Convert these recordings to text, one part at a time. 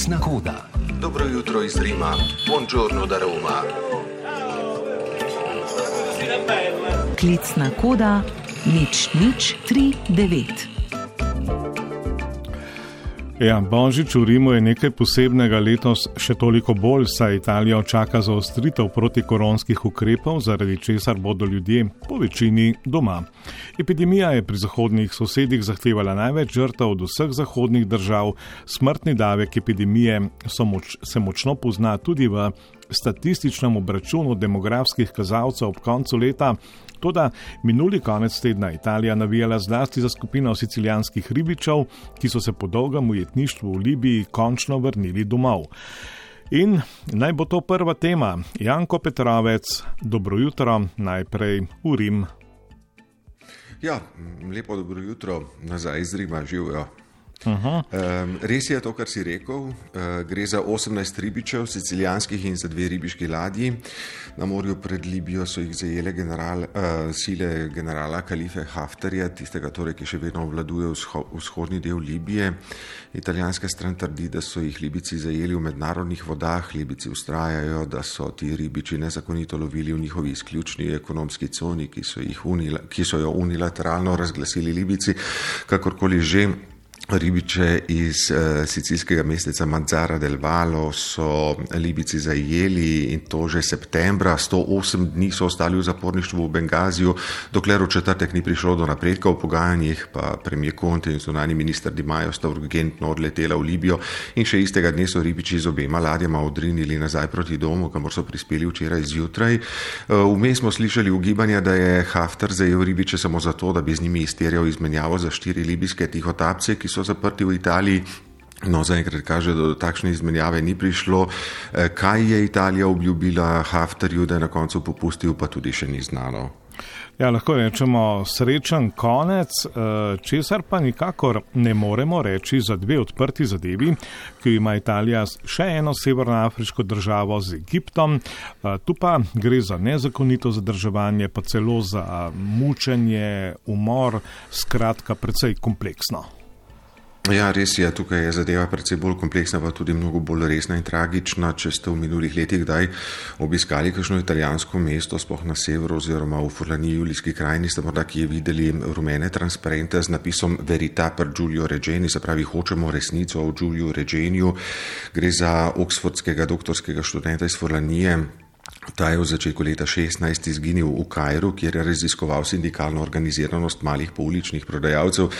Klicna koda. Dobro jutro iz Rima. Buongiorno da Roma. Klicna koda 0039. Ja, Božič v Rimu je nekaj posebnega, letos še toliko bolj, saj Italijo čaka zaostritev protikoronskih ukrepov, zaradi česar bodo ljudje po večini doma. Epidemija je pri zahodnih sosedih zahtevala največ žrtev od vseh zahodnih držav. Smrtni davek epidemije se močno pozna tudi v statističnem obračunu demografskih kazalcev ob koncu leta. Toda minuli konec tedna Italija navijala zlasti za skupino sicilijanskih ribičev, ki so se po dolgem ujetništvu v Libiji končno vrnili domov. In naj bo to prva tema. Janko Petrovec, dobro jutro, najprej v Rim. Ja, lepo dobro jutro nazaj iz Rima, živijo. Res je to, kar si rekel. Gre za 18 ribičev, sicilijanskih in za 2 ribiški ladji. Na morju pred Libijo so jih zajele sile generala Kalife Haftarja, tistega torej, ki še vedno obvladuje vzhodni del Libije. Italijanska stran trdi, da so jih Libici zajeli v mednarodnih vodah. Libici vztrajajo, da so ti ribiči nezakonito lovili v njihovi izključni ekonomski coni, ki so jo unilateralno razglasili Libici, kakorkoli že. Ribiče iz sicilskega mesteca Mazara del Vallo so Libici zajeli in to že septembra. 108 dni so ostali v zaporništvu v Bengaziju, dokler v četrtek ni prišlo do napredka v pogajanjih, pa premier Conte in zunanji minister Di Maio sta urgentno odletela v Libijo in še istega dne so ribiči z obema ladjama odrinili nazaj proti domu, kamor so prispeli včeraj zjutraj. Vmes smo slišali ugibanja, da je Haftar zajel ribiče samo zato, da bi z njimi izterjal izmenjavo za 4 libijske tihotapce, ki so zaprti v Italiji. No, zaenkrat kaže, da do takšne izmenjave ni prišlo. Kaj je Italija obljubila Haftarju, da je na koncu popustil, pa tudi še ni znano. Ja, lahko rečemo srečen konec, česar pa nikakor ne moremo reči za 2 odprti zadevi, ki ima Italija še eno severnoafriško državo z Egiptom. Tu pa gre za nezakonito zadrževanje, pa celo za mučenje, umor, skratka precej kompleksno. Ja, res je, tukaj je zadeva precej bolj kompleksna, pa tudi mnogo bolj resna in tragična. Če ste v minulih letih kdaj obiskali kakšno italijansko mesto, sploh na severu oziroma v Furlaniji, Julijski krajini, ste morda kje videli rumene transparente z napisom Verità per Giulio Regeni, se pravi, hočemo resnico o Giuliu Regeniju. Gre za oksfordskega doktorskega študenta iz Furlanije. Ta je v začetku leta 2016 izginil v Kairu, kjer je raziskoval sindikalno organiziranost malih pouličnih prodajalcev.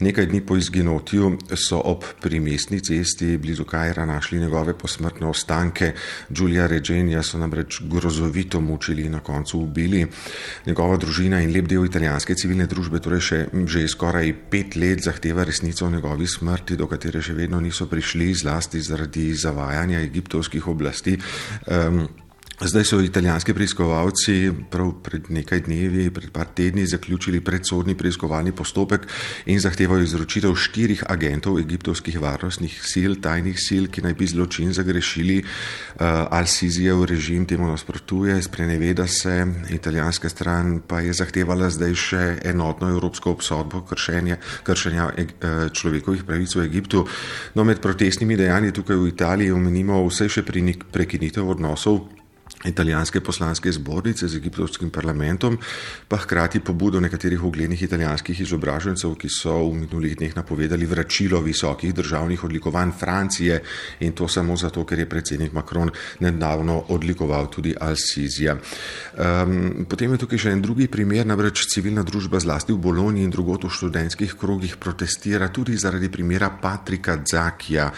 Nekaj dni po izginotju so ob primestni cesti blizu Kaira našli njegove posmrtne ostanke. Giulia Regenija so namreč grozovito mučili in na koncu ubili. Njegova družina in lep del italijanske civilne družbe torej že skoraj 5 let zahteva resnico o njegovi smrti, do katere še vedno niso prišli, zlasti zaradi zavajanja egiptovskih oblasti. Zdaj so italijanski preiskovalci prav pred nekaj dnevi, pred par tedni zaključili predsodni preiskovalni postopek in zahtevajo izročitev 4 agentov egiptovskih varnostnih sil, tajnih sil, ki naj bi zločin zagrešili. Al-Sizijev režim temu nasprotuje, spreneveda se, italijanska stran pa je zahtevala zdaj še enotno evropsko obsodbo kršenja človekovih pravic v Egiptu. No, med protestnimi dejanji tukaj v Italiji omenimo vse še prekinitev odnosov italijanske poslanske zbornice z egiptovskim parlamentom, pa hkrati pobudo nekaterih uglednih italijanskih izobražencev, ki so v minulih dneh napovedali vračilo visokih državnih odlikovanj Francije, in to samo zato, ker je predsednik Macron nedavno odlikoval tudi Al-Sizija. Potem je tukaj še en drugi primer, namreč civilna družba zlasti v Bologni in drugot v študentskih krogih protestira tudi zaradi primera Patrika Zakija,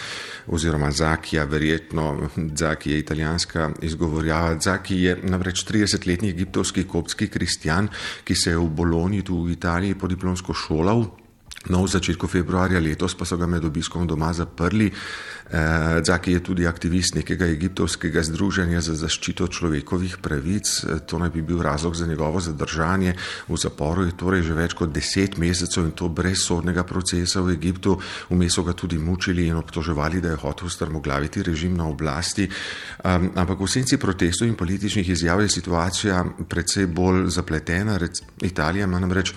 oziroma Zakija, verjetno Zaki je italijanska izgovorjava. Zaki je namreč 30-letni egiptovski koptski kristjan, ki se je v Bologni, tu v Italiji, podiplomsko šolal. No, v začetku februarja letos pa so ga med obiskom doma zaprli. Zaki je tudi aktivist nekega egiptovskega združenja za zaščito človekovih pravic. To naj bi bil razlog za njegovo zadržanje. V zaporu je torej že več kot 10 mesecev in to brez sodnega procesa v Egiptu. Vmes so ga tudi mučili in obtoževali, da je hotel strmoglaviti režim na oblasti. Ampak v senci protestov in političnih izjav je situacija precej bolj zapletena. Italija ima namreč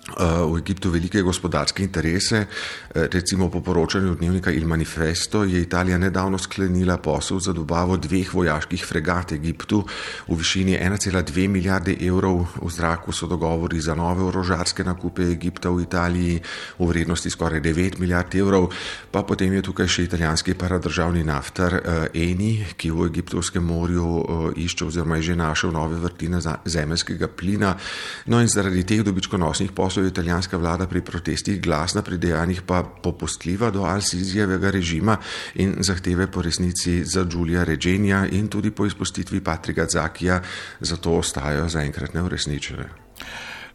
v Egiptu velike gospodarske interese. Recimo po poročanju dnevnika Il Manifesto je Italija nedavno sklenila posel za dobavo 2 vojaških fregat Egiptu v višini 1,2 milijarde evrov. V zraku so dogovori za nove orožarske nakupe Egipta v Italiji v vrednosti skoraj 9 milijard evrov. Pa potem je tukaj še italijanski paradržavni naftar Eni, ki v Egiptovskem morju išče oziroma je že našel nove vrtine zemeljskega plina. No in zaradi teh dobičkonosnih poslov je italijanska vlada pri protestih glasna, pri dejanjih pa popustljiva do Al-Sisijevega režima in zahteve po resnici za Giulia Regenija in tudi po izpustitvi Patrika Zakija zato ostajajo zaenkrat neuresničene.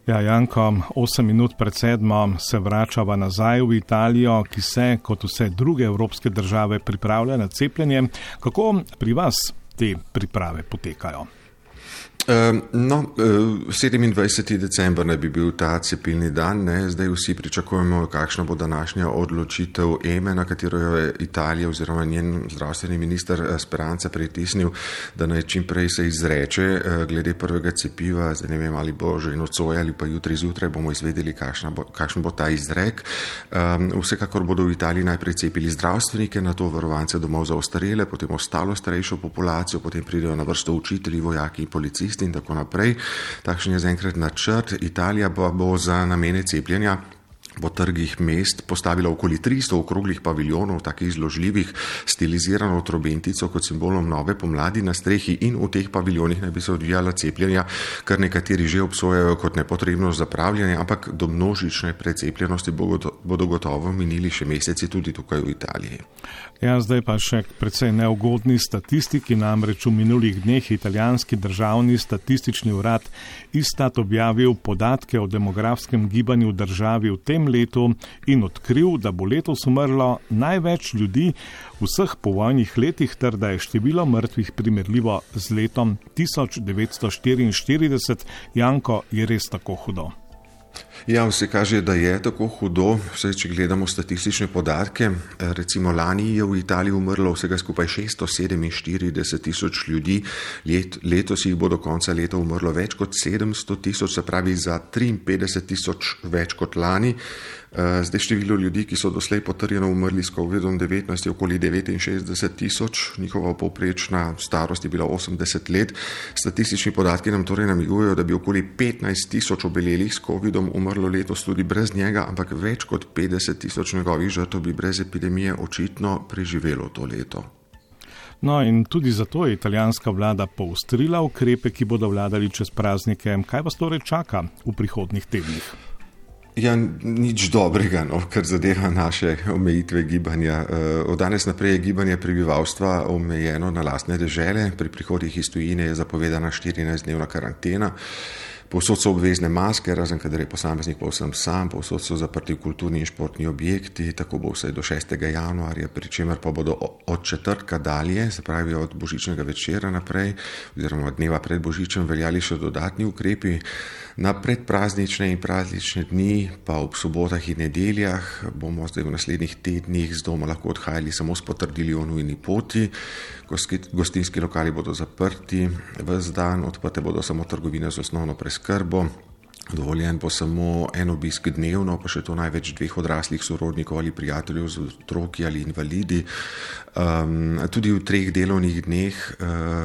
Ja, Janko, 8 minut pred 7 se vračava nazaj v Italijo, ki se, kot vse druge evropske države, pripravlja na cepljenje. Kako pri vas te priprave potekajo? 27. december naj bi bil ta cepilni dan, zdaj vsi pričakujemo, kakšna bo današnja odločitev EME, na katero je Italija oziroma njen zdravstveni minister Speranza pritisnil, da naj čim prej se izreče glede prvega cepiva. Zdaj ne vem, ali bo že nocoj ali pa jutri zjutraj, bomo izvedeli, kakšen bo ta izrek. Vsekakor bodo v Italiji najprej cepili zdravstvenike, nato varovance domov za ostarele, potem ostalo starejšo populacijo, potem pridejo na vrsto učitelji, vojaki in policisti in tako naprej. Takšen je zaenkrat načrt. Italija pa bo za namene cepljenja po trgih mest postavila okoli 300 okroglih paviljonov, takih zložljivih, stilizirano trobentico kot simbolom nove pomladi na strehi, in v teh paviljonih naj bi se odvijala cepljenja, kar nekateri že obsojajo kot nepotrebno zapravljanje, ampak do množične precepljenosti bodo gotovo minili še meseci tudi tukaj v Italiji. Ja, zdaj pa še precej neugodni statistiki, namreč v minulih dneh italijanski državni statistični urad Istat objavil podatke o demografskem gibanju v državi v tem letu in odkril, da bo letos umrlo največ ljudi v vseh povojnih letih ter da je število mrtvih primerljivo z letom 1944. Janko, je res tako hudo? Ja, vse kaže, da je tako hudo. Vse, če gledamo statistične podatke, recimo lani je v Italiji umrlo vsega skupaj 647 tisoč ljudi, letos jih bo do konca leta umrlo več kot 700 tisoč, se pravi za 53 tisoč več kot lani. Zdaj število ljudi, ki so doslej potrjeno umrli s COVID-19 je okoli 69 tisoč, njihova povprečna starost je bila 80 let. Statistični podatki nam torej namigujejo, da bi okoli 15 tisoč obelelih s COVID-om umrlo letos tudi brez njega, ampak več kot 50 tisoč njegovih žrtev bi brez epidemije očitno preživelo to leto. No in tudi zato je italijanska vlada poostrila ukrepe, ki bodo vladali čez praznike. Kaj vas torej čaka v prihodnjih tednih? Ja, nič dobrega, kar zadeva naše omejitve gibanja. Od danes naprej je gibanje prebivalstva omejeno na lastne dežele. Pri prihodih iz tujine je zapovedana 14-dnevna karantena. Povsod so obvezne maske, razen kadar je posameznik povsem sam, povsod so zaprti kulturni in športni objekti, tako bo vsaj do 6. januarja, pri čemer pa bodo od četrtka dalje, se pravi od božičnega večera naprej, oziroma dneva pred božičem, veljali še dodatni ukrepi. Na predpraznične in praznične dni, pa ob sobotah in nedeljah, bomo zdaj v naslednjih tednih z doma lahko odhajali samo s potrdili o nujni poti. Gostinski lokali bodo zaprti ves dan, odprte bodo samo trgovine z osnovno preskrbo. Dovoljen bo samo en obisk dnevno, pa še to največ 2 odraslih sorodnikov ali prijateljev z otroki ali invalidi. Tudi v 3 delovnih dneh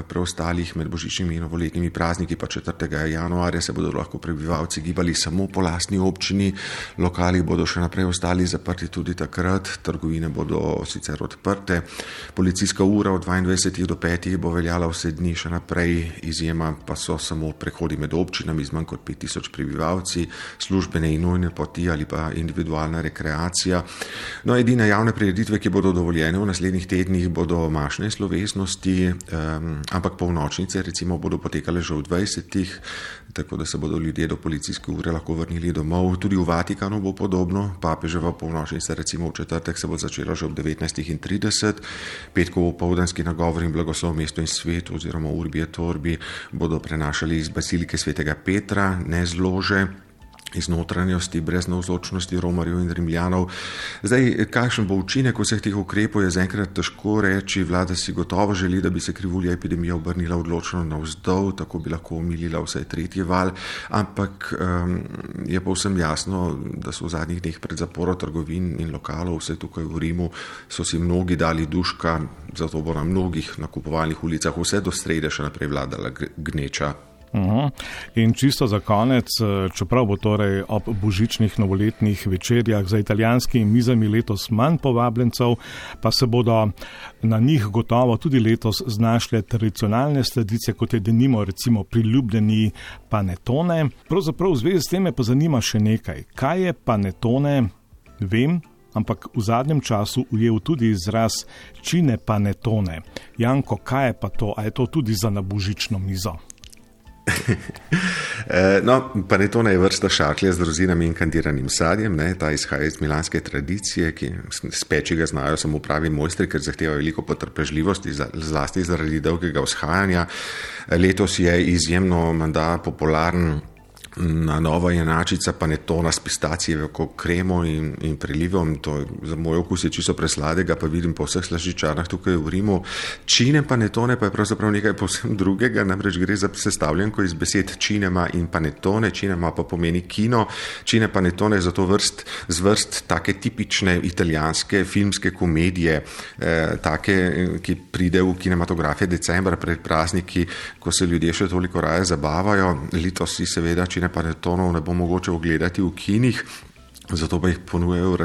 preostalih med božičnimi in novoletnimi prazniki, pa 4. januarja, se bodo lahko prebivalci gibali samo po lastni občini. Lokali bodo še naprej ostali zaprti tudi takrat, trgovine bodo sicer odprte. Policijska ura od 22 do 5 bo veljala vse dni še naprej, izjema pa so samo prehodi med občinami z manj kot 5000 prebivalci, službene in nujne poti ali pa individualna rekreacija. No, edine javne prireditve, ki bodo dovoljene v naslednjih tednih, bodo mašne slovesnosti, ampak polnočnice recimo bodo potekale že v 20, tako da se bodo ljudje do policijske ure lahko vrnili domov. Tudi v Vatikanu bo podobno, papeževa polnočnica recimo v četrtek se bo začela že ob 19:30, petkov opoldanski nagovor in blagoslov mestu in svetu oziroma Urbi et Orbi bodo prenašali iz bazilike svetega Petra, ne z lože. iz notranjosti, brez navzočnosti Romarjev in Rimljanov. Zdaj, kakšen bo učinek vseh teh ukrepov, je zaenkrat težko reči. Vlada si gotovo želi, da bi se krivulja epidemije obrnila odločno navzdol, tako bi lahko omilila vsaj tretji val, ampak je povsem jasno, da so v zadnjih dneh pred zaporo trgovin in lokalov, vse tukaj v Rimu, so si mnogi dali duška, zato bo na mnogih nakupovalnih ulicah vse do srede še naprej vladala gneča. In čisto za konec, čeprav bo torej ob božičnih novoletnih večerjah za italijanskimi mizami letos manj povabljencev, pa se bodo na njih gotovo tudi letos znašle tradicionalne sladice, kot je denimo recimo priljubljeni panettone. Pravzaprav v zvezi s tem me pa zanima še nekaj. Kaj je panettone? Vem, ampak v zadnjem času ujel tudi izraz cine panettone. Janko, kaj je pa to? A je to tudi za na božično mizo? No, panettone je vrsta šaklje z rozinami in kandiranim sadjem, ta izhaja iz milanske tradicije, ki speči ga znajo samo pravi mojstri, ker zahteva veliko potrpežljivosti, zlasti zaradi dolgega vzhajanja. Letos je izjemno menda popularen na nova enačica panettona s pistacijevo kremo in prelivom. To za moj okus je čisto presladega, pa vidim po vseh slaščičarnah tukaj v Rimu. Cine panettone pa je pravzaprav nekaj povsem drugega, namreč gre za sestavljanko iz besed cinema in panettone. Cinema pa pomeni kino. Cine panettone je zato zvrst take tipične italijanske filmske komedije, take, ki pride v kinematografije decembra pred prazniki, ko se ljudje še toliko raje zabavajo. Letos si seveda cine panettonov ne bo mogoče ogledati v kinih, zato pa jih ponujajo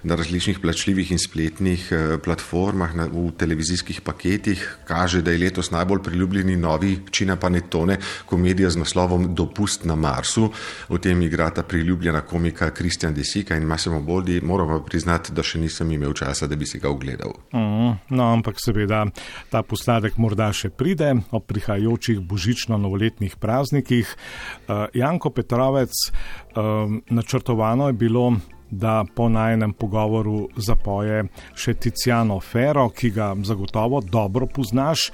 na različnih plačljivih in spletnih platformah, v televizijskih paketih. Kaže, da je letos najbolj priljubljeni novi cine panettone komedija z naslovom Dopust na Marsu. V tem igrata priljubljena komika Christian De Sica in Massimo Boldi. Moram pa priznati, da še nisem imel časa, da bi si ga ogledal. No, ampak seveda ta posladek morda še pride ob prihajajočih božično-novoletnih praznikih. Janko Petrovec, načrtovano je bilo, da po najinem pogovoru zapoje še Tiziano Ferro, ki ga zagotovo dobro poznaš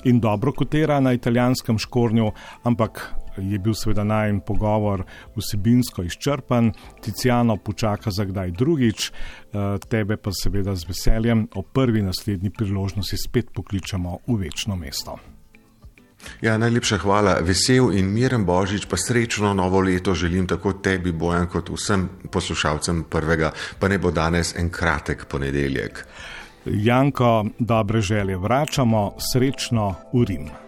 in dobro kotira na italijanskem škornju, ampak je bil seveda najin pogovor vsebinsko izčrpan. Tiziano počaka za kdaj drugič, tebe pa seveda z veseljem ob prvi naslednji priložnosti spet pokličemo v večno mesto. Ja, najlepša hvala. Vesel in miren Božič, pa srečno novo leto želim tako tebi, Bojan, kot vsem poslušalcem prvega, pa ne bo danes en kratek ponedeljek. Janko, dobre želje vračamo, srečno v Rim.